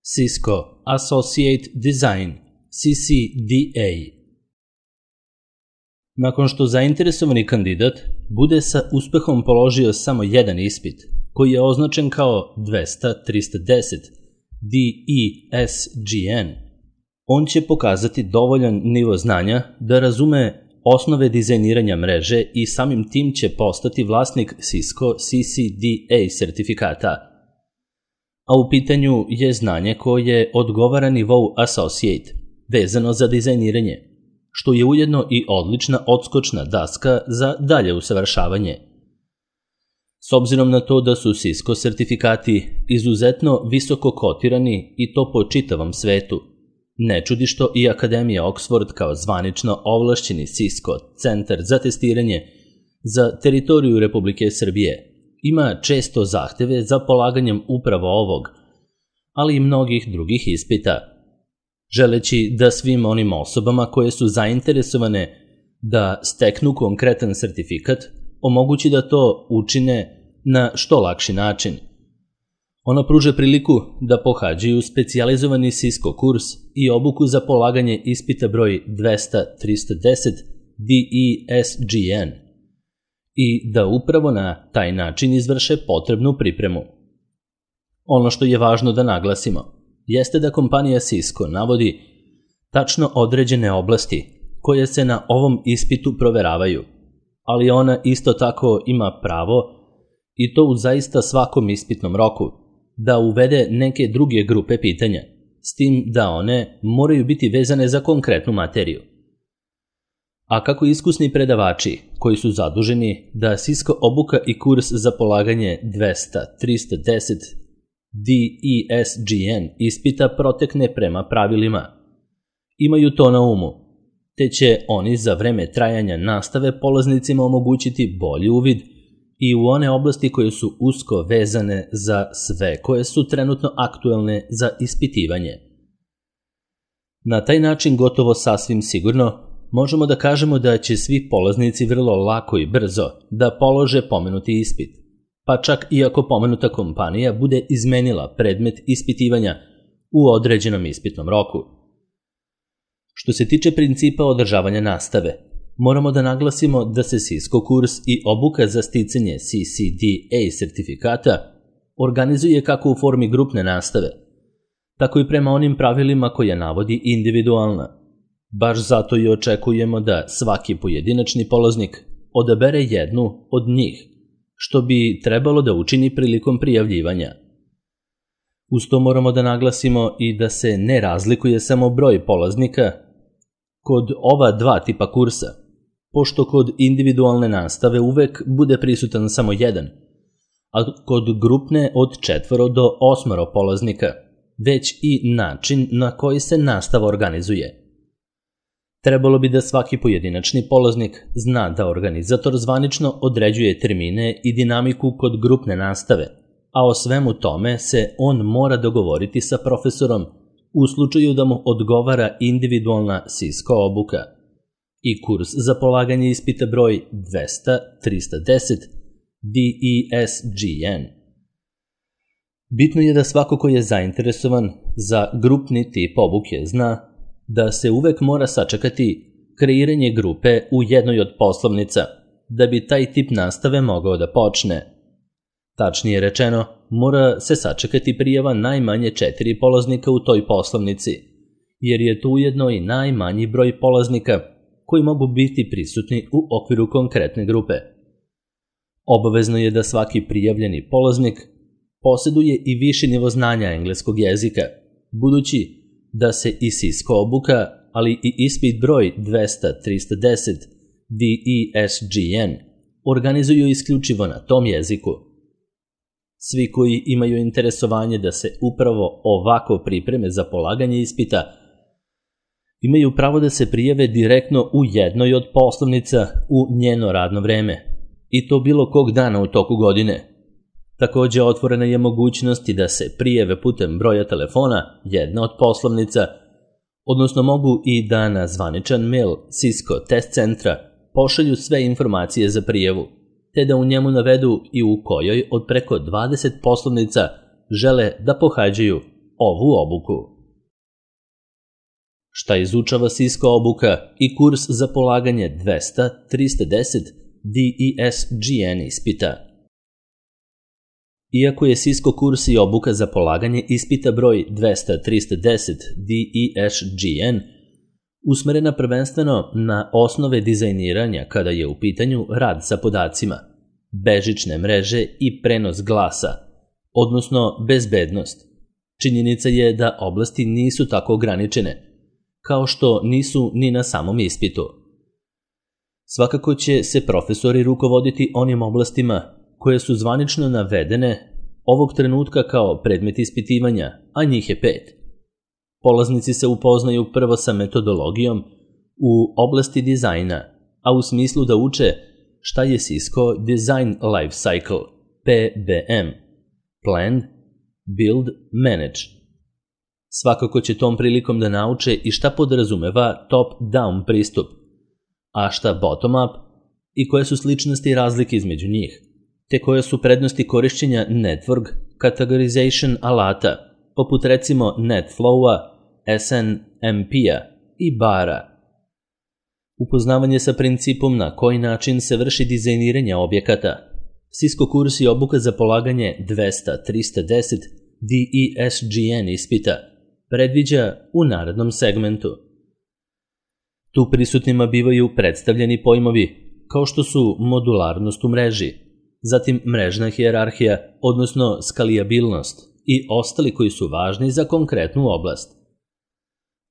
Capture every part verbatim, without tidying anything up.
Cisco Associate Design C C D A. Nakon što zainteresovani kandidat bude sa uspehom položio samo jedan ispit, koji je označen kao dvesta trista deset D E S G N, on će pokazati dovoljan nivo znanja da razume osnove dizajniranja mreže i samim tim će postati vlasnik Cisco C C D A sertifikata. A u pitanju je znanje koje odgovara nivou Associate, vezano za dizajniranje, što je ujedno i odlična odskočna daska za dalje usavršavanje. S obzirom na to da su Cisco sertifikati izuzetno visoko kotirani i to po čitavom svetu, ne čudi što i Akademija Oxford kao zvanično ovlašćeni Cisco centar za testiranje za teritoriju Republike Srbije ima često zahteve za polaganjem upravo ovog, ali i mnogih drugih ispita, želeći da svim onim osobama koje su zainteresovane da steknu konkretan sertifikat omogući da to učine na što lakši način. Ona pruža priliku da pohađaju specijalizovani Cisco kurs i obuku za polaganje ispita broj dvesta trista deset D E S G N i da upravo na taj način izvrše potrebnu pripremu. Ono što je važno da naglasimo jeste da kompanija Cisco navodi tačno određene oblasti koje se na ovom ispitu proveravaju, ali ona isto tako ima pravo, i to u zaista svakom ispitnom roku, da uvede neke druge grupe pitanja, s tim da one moraju biti vezane za konkretnu materiju. A kako iskusni predavači koji su zaduženi da Cisco obuka i kurs za polaganje dvesta trista deset D E S G N ispita protekne prema pravilima, imaju to na umu, te će oni za vreme trajanja nastave polaznicima omogućiti bolji uvid i u one oblasti koje su usko vezane za sve koje su trenutno aktuelne za ispitivanje. Na taj način gotovo sasvim sigurno možemo da kažemo da će svi polaznici vrlo lako i brzo da polože pomenuti ispit, pa čak i ako pomenuta kompanija bude izmenila predmet ispitivanja u određenom ispitnom roku. Što se tiče principa održavanja nastave, moramo da naglasimo da se Cisco kurs i obuka za sticanje C C D A sertifikata organizuje kako u formi grupne nastave, tako i prema onim pravilima koje navodi individualna. Baš zato i očekujemo da svaki pojedinačni polaznik odabere jednu od njih, što bi trebalo da učini prilikom prijavljivanja. Uz to moramo da naglasimo i da se ne razlikuje samo broj polaznika kod ova dva tipa kursa, pošto kod individualne nastave uvek bude prisutan samo jedan, a kod grupne od četvoro do osmoro polaznika, već i način na koji se nastava organizuje. Trebalo bi da svaki pojedinačni polaznik zna da organizator zvanično određuje termine i dinamiku kod grupne nastave, a o svemu tome se on mora dogovoriti sa profesorom u slučaju da mu odgovara individualna Cisco obuka i kurs za polaganje ispita broj dvesta trista deset D E S G N. Bitno je da svako ko je zainteresovan za grupni tip obuke zna da se uvek mora sačekati kreiranje grupe u jednoj od poslovnica da bi taj tip nastave mogao da počne. Tačnije rečeno, mora se sačekati prijava najmanje četiri polaznika u toj poslovnici, jer je tu ujedno i najmanji broj polaznika koji mogu biti prisutni u okviru konkretne grupe. Obavezno je da svaki prijavljeni polaznik poseduje i viši nivo znanja engleskog jezika, budući da se i Cisco obuka, ali i ispit broj dvesta trista deset D E S G N organizuju isključivo na tom jeziku. Svi koji imaju interesovanje da se upravo ovako pripreme za polaganje ispita imaju pravo da se prijave direktno u jednoj od poslovnica u njeno radno vreme, i to bilo kog dana u toku godine. Takođe, otvorena je mogućnost i da se prijave putem broja telefona jedne od poslovnica, odnosno mogu i da na zvaničan mail Cisco test centra pošalju sve informacije za prijavu, te da u njemu navedu i u kojoj od preko dvadeset poslovnica žele da pohađaju ovu obuku. Šta izučava Cisco obuka i kurs za polaganje dvesta trista deset D E S G N ispita? Iako je Cisco kurs i obuka za polaganje ispita broj dvesta trista deset D E S G N usmerena prvenstveno na osnove dizajniranja kada je u pitanju rad sa podacima, bežične mreže i prenos glasa, odnosno bezbednost, činjenica je da oblasti nisu tako ograničene, kao što nisu ni na samom ispitu. Svakako će se profesori rukovoditi onim oblastima koje su zvanično navedene ovog trenutka kao predmet ispitivanja, a njih je pet. Polaznici se upoznaju prvo sa metodologijom u oblasti dizajna, a u smislu da uče šta je Cisco Design Life Cycle, P B M, Plan, Build, Manage. Svakako će tom prilikom da nauče i šta podrazumeva top-down pristup, a šta bottom-up i koje su sličnosti i razlike između njih, te koje su prednosti korišćenja network categorization alata, poput recimo NetFlow-a, S N M P-a i bara. Upoznavanje sa principom na koji način se vrši dizajniranje objekata. Cisco kurs i obuka za polaganje dvesta trista deset D E S G N ispita predviđa u narednom segmentu. Tu prisutnima bivaju predstavljeni pojmovi kao što su modularnost u mreži, zatim mrežna hijerarhija, odnosno skalijabilnost i ostali koji su važni za konkretnu oblast.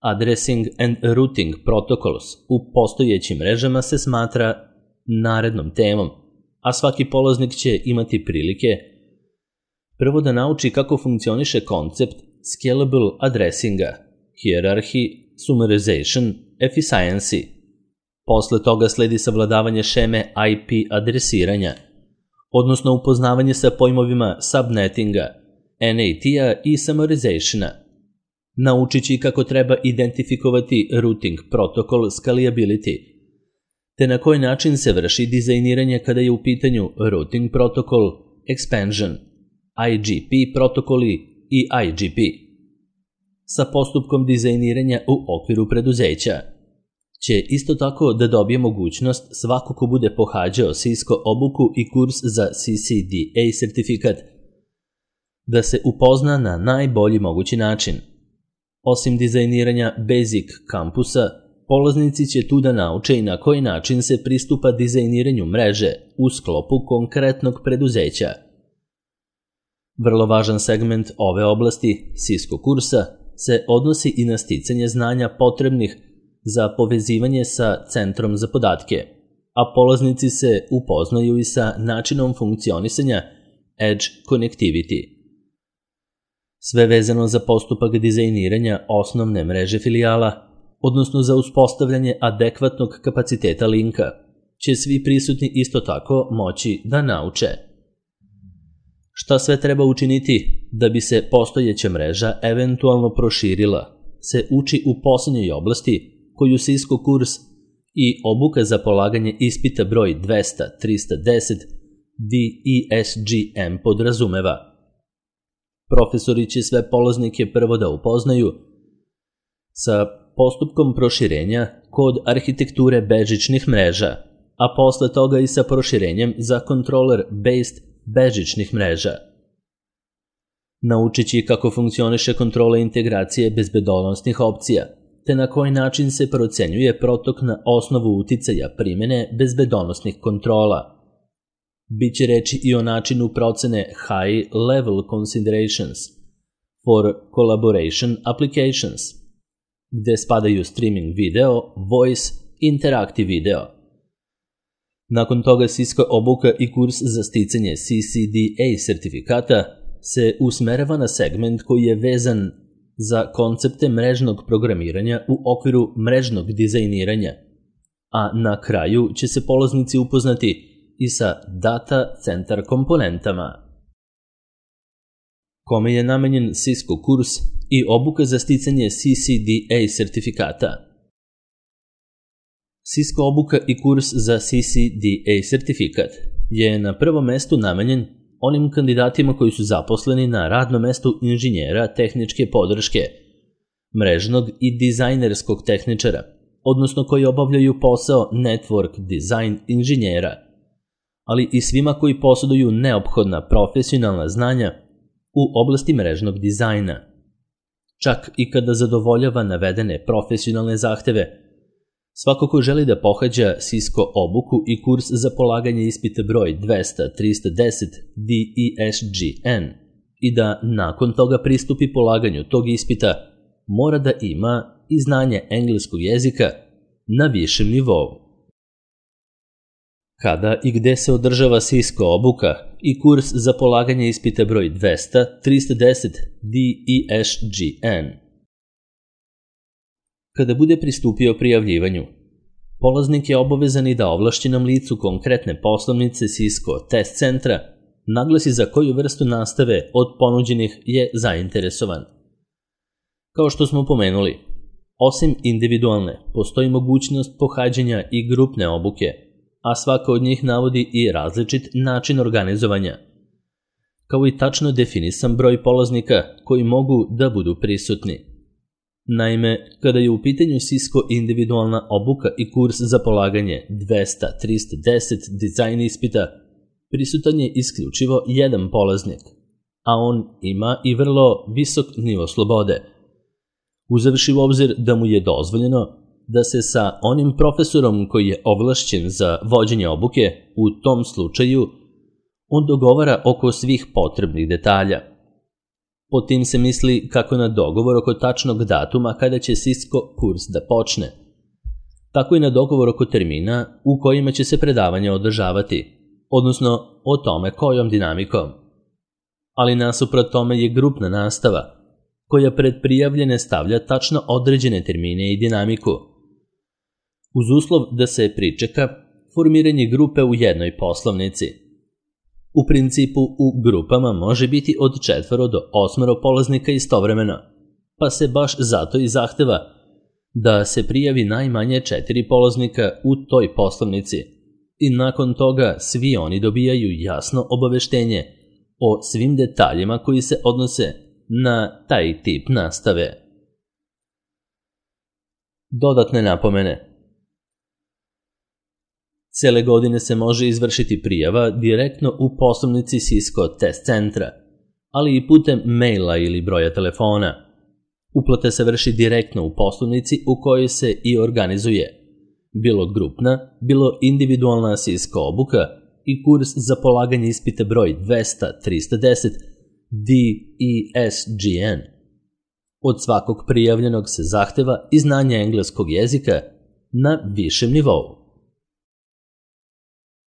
Addressing and Routing Protocols u postojećim mrežama se smatra narednom temom, a svaki polaznik će imati prilike prvo da nauči kako funkcioniše koncept Scalable Addressinga, Hierarchy, Summarization, Efficiency. Posle toga sledi savladavanje šeme I P adresiranja, odnosno upoznavanje sa pojmovima subnettinga, N A T-a i summarizationa. Naučit će kako treba identifikovati routing protocol scalability, te na koji način se vrši dizajniranje kada je u pitanju routing protocol, expansion, I G P protokoli i I G P. Sa postupkom dizajniranja u okviru preduzeća će isto tako da dobije mogućnost svako ko bude pohađao Cisco obuku i kurs za C C D A sertifikat da se upozna na najbolji mogući način. Osim dizajniranja Basic kampusa, polaznici će tu da nauče i na koji način se pristupa dizajniranju mreže u sklopu konkretnog preduzeća. Vrlo važan segment ove oblasti Cisco kursa se odnosi i na sticanje znanja potrebnih za povezivanje sa centrom za podatke, a polaznici se upoznaju i sa načinom funkcionisanja Edge Connectivity. Sve vezano za postupak dizajniranja osnovne mreže filijala, odnosno za uspostavljanje adekvatnog kapaciteta linka, će svi prisutni isto tako moći da nauče. Šta sve treba učiniti da bi se postojeća mreža eventualno proširila, se uči u poslednjoj oblasti koju Cisco kurs i obuka za polaganje ispita broj dvesta trista deset D E S G M podrazumeva. Profesori će sve polaznike prvo da upoznaju sa postupkom proširenja kod arhitekture bežičnih mreža, a posle toga i sa proširenjem za controller-based bežičnih mreža. Naučit će kako funkcioniše kontrola integracije bezbedonosnih opcija, te na koji način se procenjuje protok na osnovu uticaja primene bezbedonosnih kontrola. Biće reči i o načinu procene High Level Considerations for Collaboration Applications, gde spadaju streaming video, voice, interactive video. Nakon toga Cisco obuka i kurs za sticanje C C D A sertifikata se usmerava na segment koji je vezan za koncepte mrežnog programiranja u okviru mrežnog dizajniranja, a na kraju će se polaznici upoznati i sa data center komponentama. Kome je namenjen Cisco kurs i obuka za sticanje C C D A sertifikata? Cisco obuka i kurs za C C D A sertifikat je na prvom mestu namenjen onim kandidatima koji su zaposleni na radnom mestu inženjera tehničke podrške, mrežnog i dizajnerskog tehničara, odnosno koji obavljaju posao network design inženjera, ali i svima koji posjeduju neophodna profesionalna znanja u oblasti mrežnog dizajna. Čak i kada zadovoljava navedene profesionalne zahteve, svako ko želi da pohađa Cisco obuku i kurs za polaganje ispita broj dvesta trista deset D E S G N i da nakon toga pristupi polaganju tog ispita, mora da ima i znanje engleskog jezika na višem nivou. Kada i gde se održava Cisco obuka i kurs za polaganje ispita broj dvesta trista deset D E S G N? Kada bude pristupio prijavljivanju, polaznik je obavezan i da ovlašćenom licu konkretne poslovnice Cisco test centra naglasi za koju vrstu nastave od ponuđenih je zainteresovan. Kao što smo pomenuli, osim individualne, postoji mogućnost pohađanja i grupne obuke, a svaka od njih navodi i različit način organizovanja, kao i tačno definisan broj polaznika koji mogu da budu prisutni. Naime, kada je u pitanju Cisco individualna obuka i kurs za polaganje dvesta trista deset dizajn ispita, prisutan je isključivo jedan polaznik, a on ima i vrlo visok nivo slobode, uzevši u obzir da mu je dozvoljeno da se sa onim profesorom koji je ovlašćen za vođenje obuke, u tom slučaju, on dogovara oko svih potrebnih detalja. Po tim se misli kako na dogovor oko tačnog datuma kada će Cisco kurs da počne, tako i na dogovor oko termina u kojima će se predavanje održavati, odnosno o tome kojom dinamikom. Ali nasuprot tome je grupna nastava, koja pred prijavljene stavlja tačno određene termine i dinamiku, uz uslov da se pričeka formiranje grupe u jednoj poslovnici. U principu u grupama može biti od četvoro do osmoro polaznika istovremeno, pa se baš zato i zahteva da se prijavi najmanje četiri polaznika u toj poslovnici i nakon toga svi oni dobijaju jasno obaveštenje o svim detaljima koji se odnose na taj tip nastave. Dodatne napomene. Cele godine se može izvršiti prijava direktno u poslovnici Cisco test centra, ali i putem maila ili broja telefona. Uplata se vrši direktno u poslovnici u kojoj se i organizuje, bilo grupna, bilo individualna Cisco obuka i kurs za polaganje ispita broj dvesta trista deset D E S G N. Od svakog prijavljenog se zahteva i znanje engleskog jezika na višem nivou.